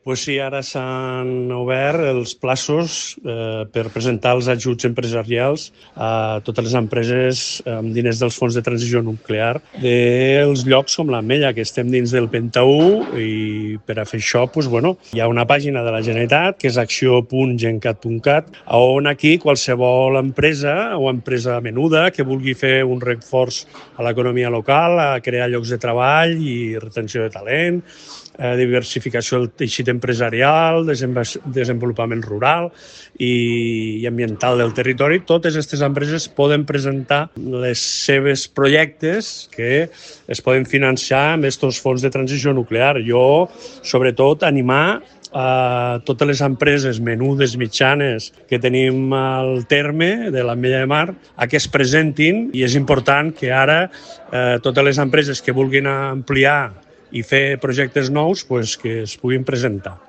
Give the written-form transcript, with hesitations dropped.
Pues sí, ara s'han obert els plaços per presentar els ajuts empresarials a totes les empreses amb diners dels fons de transició nuclear dels llocs com l'Ametlla, que estem dins del Penta 1, i per a fer això hi ha una pàgina de la Generalitat que és acció.gencat.cat, on aquí qualsevol empresa o empresa menuda que vulgui fer un reforç a l'economia local, a crear llocs de treball i retenció de talent, diversificació del teixit empresarial, desenvolupament rural i ambiental del territori. Totes aquestes empreses poden presentar les seves projectes que es poden financiar amb aquests fons de transició nuclear. Jo, sobretot, animar a totes les empreses menudes, mitjanes, que tenim al terme de l'Ametlla de Mar, a que es presentin, i és important que ara totes les empreses que vulguin ampliar i fer projectes nous que es puguin presentar.